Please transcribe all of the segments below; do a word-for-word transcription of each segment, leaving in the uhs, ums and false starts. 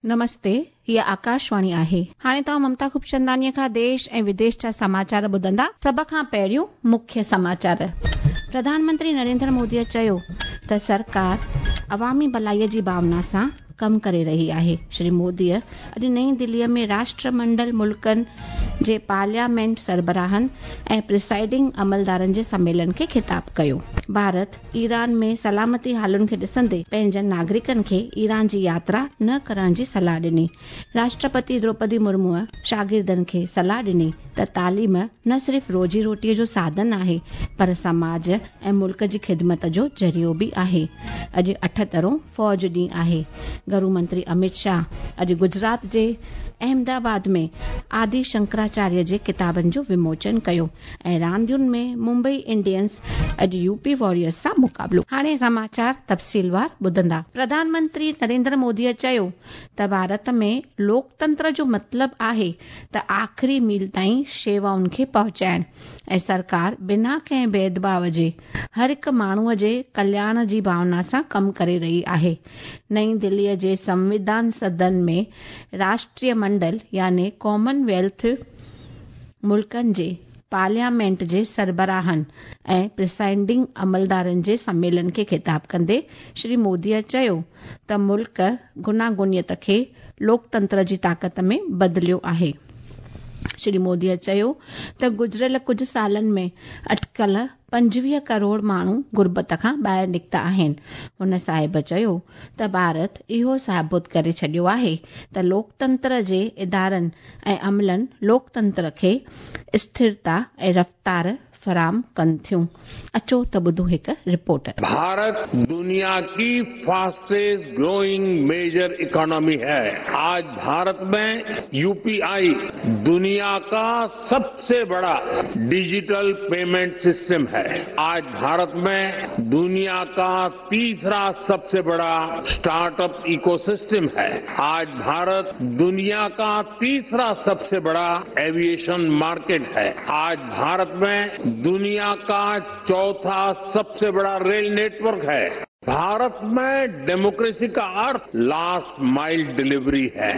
नमस्ते, हीअ आकाशवाणी आहे। हाणे तव्हां ममता खूबचंदानीअ खां देश ऐं विदेश जा समाचार ॿुधंदा। सभ खां पहिरियों मुख्य समाचार। प्रधानमंत्री नरेंद्र मोदीअ चयो त सरकार अवामी भलाईअ जी भावना सां कमु करे रही आहे। श्री मोदीअ अॼु नई दिल्लीअ में राष्ट्रमंडल मुल्कनि जे पार्लियामेंट सरबराहनि ऐं प्रिसाइडिंग अमलदारनि जे सम्मेलन खे ख़िताब कयो। भारत ईरान में सलामती हालतुनि खे ॾिसंदे पंहिंजनि नागरिकनि खे ईरान जी यात्रा न करण जी सलाह ॾिनी। राष्ट्रपति द्रौपदी मुर्मूअ शागिर्दनि खे सलाह ॾिनी त तालीम न सिर्फ़ रोज़ी रोटीअ जो साधन आहे पर समाज ऐं मुल्क जी ख़िदमत जो ज़रियो बि आहे। अॼु अठहतरों फ़ौज ॾींहुं आहे। गृह मंत्री अमित शाह अॼु गुजरात जे अहमदाबाद में आदि शंकराचार्य जे किताबनि जो विमोचन कयो ऐं रांदियुनि में मुंबई इंडियंस अॼु यूपी वॉरियर्स सां मुक़ाबिलो। हाणे समाचार तफ़सीलवार ॿुधंदा। प्रधानमंत्री नरेंद्र मोदीअ चयो त भारत में लोकतंत्र जो मतिलबु आहे त आख़िरी मील ताईं शेवाउनि खे पहुचाइण ऐं सरकार बिना कंहिं भेदभाव जे हर हिकु माण्हूअ जे कल्याण जी भावना सां कमु करे रही आहे। नई दिल्लीअ जे संविधान सदन में राष्ट्रीय मंडल यानी कॉमनवेल्थ मुल्कनि जे पार्लियामेंट जे सरबराहनि ऐं प्रिसाइडिंग अमलदारनि जे सम्मेलन खे ख़िताब कंदे श्री मोदीअ चयो त मुल्क गुनागुनियत खे लोकतंत्र जी ताक़त में बदिलियो आहे। श्री मोदीअ चयो त गुज़िरियल कुझु सालनि में अटकल पंजवीह करोड़ माण्हू गुर्बत खां ॿाहिरि निकिता आहिनि। हुन साहिब चयो त भारत इहो साबित करे छॾियो आहे त लोकतंत्र जे इदारनि ऐं अमलनि लोकतंत्र खे स्थिरता ऐं रफ़्तार फराहम कनि थियूं। अचो त ॿुधूं हिकु रिपोर्ट। भारत दुनिया की फास्टेस्ट ग्रोइंग मेजर इकोनॉमी है। आज भारत में यूपीआई दुनिया का सबसे बड़ा डिजिटल पेमेंट सिस्टम है। आज भारत में दुनिया का तीसरा सबसे बड़ा स्टार्टअप इकोसिस्टम है। आज भारत दुनिया का तीसरा सबसे बड़ा एविएशन मार्केट है। आज भारत में दुनिया का चौथा सबसे बड़ा रेल नेटवर्क है। भारत में डेमोक्रेसी का अर्थ लास्ट माइल डिलीवरी है।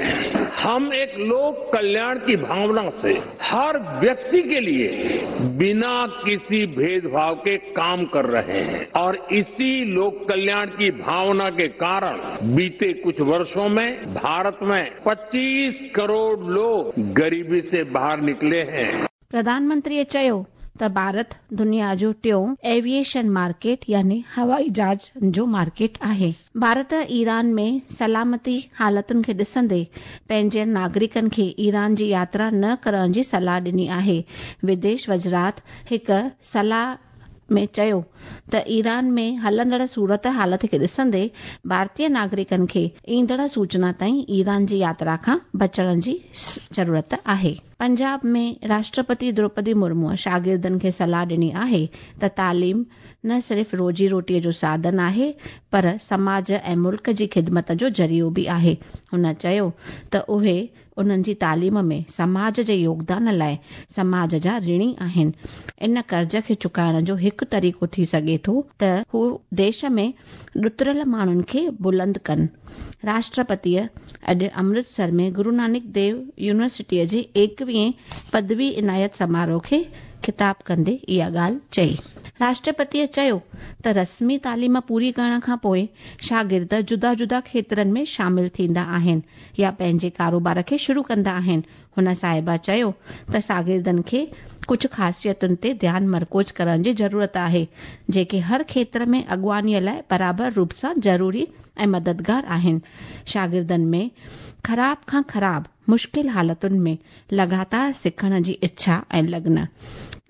हम एक लोक कल्याण की भावना से हर व्यक्ति के लिए बिना किसी भेदभाव के काम कर रहे हैं और इसी लोक कल्याण की भावना के कारण बीते कुछ वर्षों में भारत में पच्चीस करोड़ लोग गरीबी से बाहर निकले हैं। प्रधानमंत्रीअ चयो त भारत दुनिया जो टियों एविएशन मार्केट यानी हवाई जहाज़ जो मार्केट आहे। भारत ईरान में सलामती हालतुनि खे ॾिसंदे पंहिंजनि नागरिकनि खे ईरान जी यात्रा न करण जी सलाह ॾिनी आहे। विदेश वज़ारत हिकु सलाह में चयो त ईरान में हलंदड़ सूरत हालत खे ॾिसंदे भारतीय नागरिकनि खे ईंदड़ सूचना ताईं ईरान जी यात्रा खां बचण जी ज़रूरत आहे। पंजाब में राष्ट्रपति द्रौपदी मुर्मूअ शागिर्दनि खे सलाह ॾिनी आहे त तालीम न सिर्फ़ रोज़ी रोटीअ जो साधन आहे पर समाज ऐं मुल्क जी ख़िदमत जो ज़रियो बि आहे। हुन चयो त उहे उन्हनि जी तालीम में समाज जे योगदान लाइ समाज जा ऋणी आहिनि। इन कर्ज़ खे चुकाइण जो हिकु तरीक़ो थी सघे थो त हू देश में ॾुतरियल माण्हुनि खे बुलंद कनि। राष्ट्रपतीअ अॼु अमृतसर में गुरू नानक देव यूनिवर्सिटीअ जे एकवीहें पदवी इनायत समारोह खे ख़िताब कंदे इहा ॻाल्हि चई। राष्ट्रपतीअ चयो त रस्मी तालीम पूरी करण खां पोइ शागिर्द जुदा जुदा क्षेत्रनि में शामिल थींदा आहिनि या पंहिंजे कारोबार खे शुरू कंदा आहिनि। हुन साहिबा चयो त शागिर्दनि खे कुझु ख़ासियतुनि ते ध्यानु मरकूज़ करण जी ज़रूरत आहे जेके हर क्षेत्र में अॻुवानीअ लाइ बराबरि रूप सां ज़रूरी ऐं मददगार आहिनि। शागिर्दनि में ख़राब खां ख़राब मुश्किल हालतुनि में लगातार सिखण जी इच्छा ऐं लगन,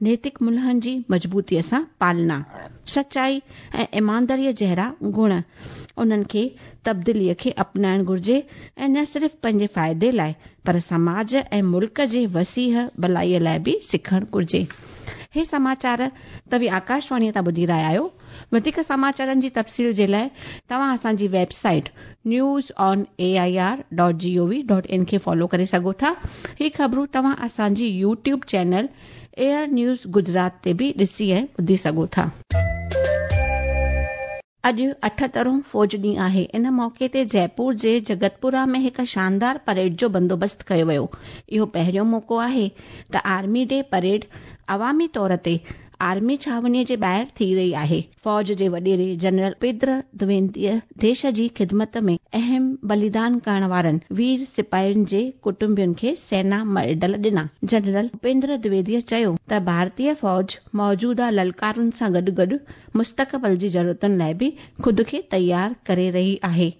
नैतिक मुल्हनि जी मज़बूतीअ सां पालना, सचाई ऐं ईमानदारीअ जहिड़ा गुण उन्हनि खे तब्दीलीअ खे अपनाइणु घुर्जे ऐं न सिर्फ़ पंहिंजे फ़ाइदे लाइ पर समाज ऐं मुल्क जे वसीह भलाईअ लाइ बि सिखणु घुर्जे। हे समाचार तव्हीं आकाशवाणीअ तां ॿुधी रहिया आहियो। वधीक समाचारनि जी तफ़सील जे लाइ तव्हां असांजी website news on A I R dot G O V dot in खे फॉलो करे सघो था। ही ख़बरूं तव्हां असांजी YouTube channel AIR news Gujarat ते बि ॾिसी ऐं ॿुधी सघो था। अॼु अठहतरों फौज ॾींहुं आहे। इन मौक़े ते जयपुर जे जगतपुरा में हिकु शानदार परेड जो बंदोबस्तु कयो वियो। इहो पहिरियों मौक़ो आहे त आर्मी डे परेड अवामी तौर ते आर्मी छावनीअ जे ॿाहिरि थी रही आहे। फौज जे वॾेरे जनरल उपेंद्र द्विवेदीअ देश जी ख़िदमत में अहम बलिदान करण वारनि वीर सिपाहियुनि जे कुटुंबियुनि खे सेना मेडल ॾिना। जनरल उपेंद्र द्विवेदीअ चयो त भारतीय फौज मौजूदा ललकारुनि सां गॾु गॾु मुस्तक़बिल जी ज़रूरतुनि लाइ बि ख़ुदि खे तयारु करे रही आहे।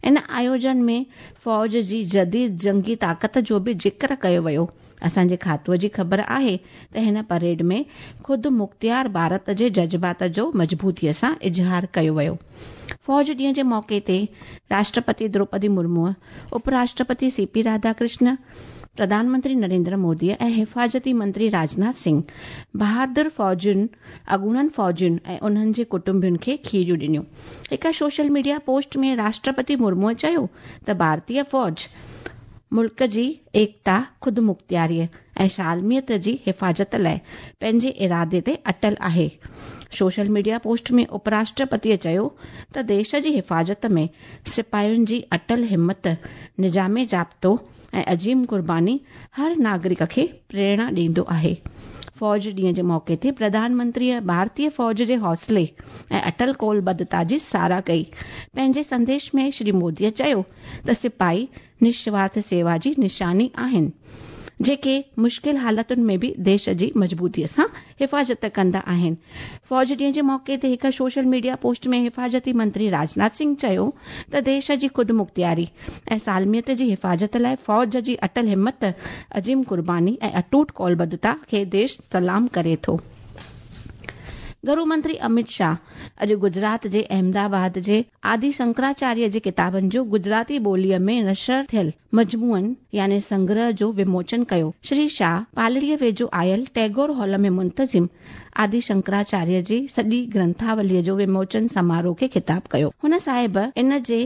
इन आयोजन में फौज जी जदीद जंगी ताक़त जो बि ज़िक्र कयो वियो। असांजे खातूअ जी ख़बर आहे त हिन परेड में ख़ुदि मुख़्तियार भारत जे जज़्बात जो मज़बूतीअ सां इज़हार कयो वियो। फौज ॾींहं जे मौक़े ते राष्ट्रपति द्रौपदी मुर्मू, उपराष्ट्रपति सी पी राधाकृष्ण, प्रधानमंत्री नरेंद्र मोदी ऐं हिफ़ाज़ती मंत्री राजनाथ सिंह बहादुर फौजियुनि, अॻूणनि फौजियुनि ऐं उन्हनि जे कुटुंबियुनि खे खीरियूं ॾिनियूं। हिकु सोशल मीडिया पोस्ट में राष्ट्रपति मुर्मूअ चयो त भारतीय फौज मुल्क जी एकता, ख़ुदि मुख़्तियारीअ ऐं सालमियत जी हिफ़ाज़त लाइ पंहिंजे इरादे ते अटल आहे। सोशल मीडिया पोस्ट में उपराष्ट्रपतीअ चयो त देश जी हिफ़ाज़त में सिपाहियुनि जी अटल हिमत, निज़ामे ज़ाब्तो ऐं अज़ीम क़ुर्बानी हर नागरिक खे प्रेरणा ॾींदो आहे। फौज ॾींहं जे मौक़े ते प्रधानमंत्रीअ भारतीय फौज जे हौसले ऐं अटल कौलबद्धता जी सराह कई। पंहिंजे संदेश में श्री मोदीअ चयो त सिपाही निस्वार्थ सेवा जी निशानी आहिनि, जेके मुश्किल हालतुनि में बि देश जी मज़बूतीअ सां हिफ़ाज़त कंदा आहिनि। फौज ॾींहं जे मौक़े ते हिकु सोशल मीडिया पोस्ट में हिफ़ाज़ती मंत्री राजनाथ सिंह चयो त देश जी ख़ुदि मुख़्तियारी ऐं सालमियत जी हिफ़ाज़त लाइ फौज जी अटल हिमत, अज़ीम क़ुर्बानी ऐं अटूट कौलबद्धता खे देश सलाम करे थो। गृह मंत्री अमित शाह अॼु गुजरात जे अहमदाबाद जे आदि शंकराचार्य जे किताबनि जो गुजराती ॿोलीअ में नशर थियल मजमूअनि यानी संग्रह जो विमोचन कयो। श्री शाह पालड़ीअ वेझो आयल टैगोर हॉल में मुंतज़िम आदि शंकराचार्य जी सॼी ग्रंथावलीअ जो विमोचन समारोह खे ख़िताब कयो। हुन साहिब इन जे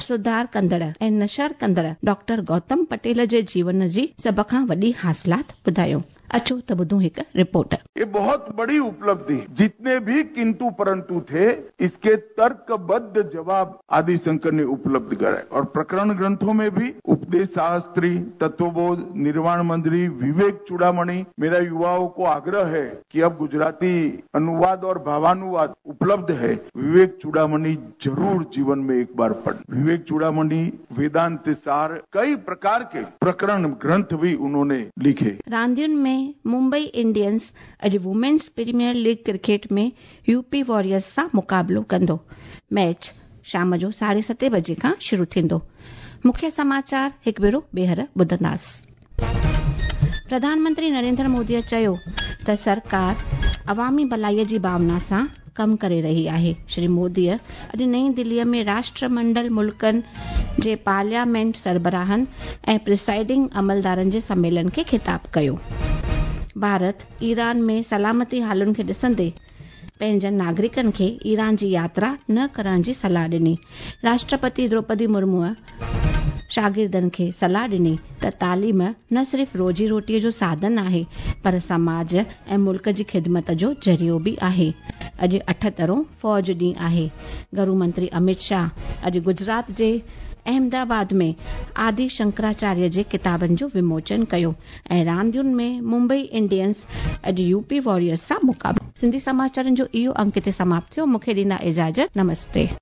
सुधार कंदड़ ऐं नशर कंदड़ डॉक्टर गौतम पटेल जे जीवन जी सभ खां वॾी हासिलात ॿुधायो। अचो त ॿुधूं हिकु रिपोर्ट। ये बहुत बड़ी उपलब्धि, जितने भी किंतु परंतु थे इसके तर्कबद्ध जवाब आदि शंकर ने उपलब्ध कराए और प्रकरण ग्रंथों में भी उपदेश शास्त्री, तत्वबोध, निर्वाण मंजरी, विवेक चूड़ामणि। मेरा युवाओं को आग्रह है कि अब गुजराती अनुवाद और भावानुवाद उपलब्ध है, विवेक चूड़ामणि जरूर जीवन में एक बार पढ़। विवेक चूड़ामणि, वेदांत सार, कई प्रकार के प्रकरण ग्रंथ भी उन्होंने लिखे। रांदियुनि में मुंबई इंडियंस अॼु women's premier league cricket में यूपी वॉरियर्स सां मुक़ाबिलो कंदो। मैच शाम जो साढे सते बजे खां शुरू थींदो। मुख्य समाचार हिकु भेरो ॿीहर ॿुधंदासीं। प्रधानमंत्री नरेंद्र मोदीअ चयो त सरकार अवामी भलाईअ जी भावना सां कमु करे रही आहे। श्री मोदीअ अॼु नई दिल्लीअ में राष्ट्रमंडल मुल्कनि जे पार्लियामेंट सरबराहनि ऐं प्रिसाइडिंग अमलदारनि जे सम्मेलन खे ख़िताब कयो। भारत ईरान में सलामती हालतुनि खे ॾिसंदे पंहिंजनि नागरिकनि खे ईरान जी यात्रा न करण जी सलाह ॾिनी। राष्ट्रपति द्रौपदी मुर्मूअ शागिर्दनि खे सलाह ॾिनी त तालीम न सिर्फ़ रोज़ी रोटीअ जो साधन आहे पर समाज ऐं मुल्क जी ख़िदमत जो ज़रियो बि आहे। अॼु अठहतरों फौज ॾींहुं आहे। गृह मंत्री अमित शाह अॼु गुजरात जे अहमदाबाद में आदि शंकराचार्य जे किताबनि जो विमोचन कयो ऐं रांदियुनि में मुंबई इंडियंस अॼु यूपी वॉरियर्स सां मुक़ाबिलो। सिंधी समाचारनि जो इहो अंक हिते समाप्त थियो। मूंखे ॾींदा इजाज़त। नमस्ते।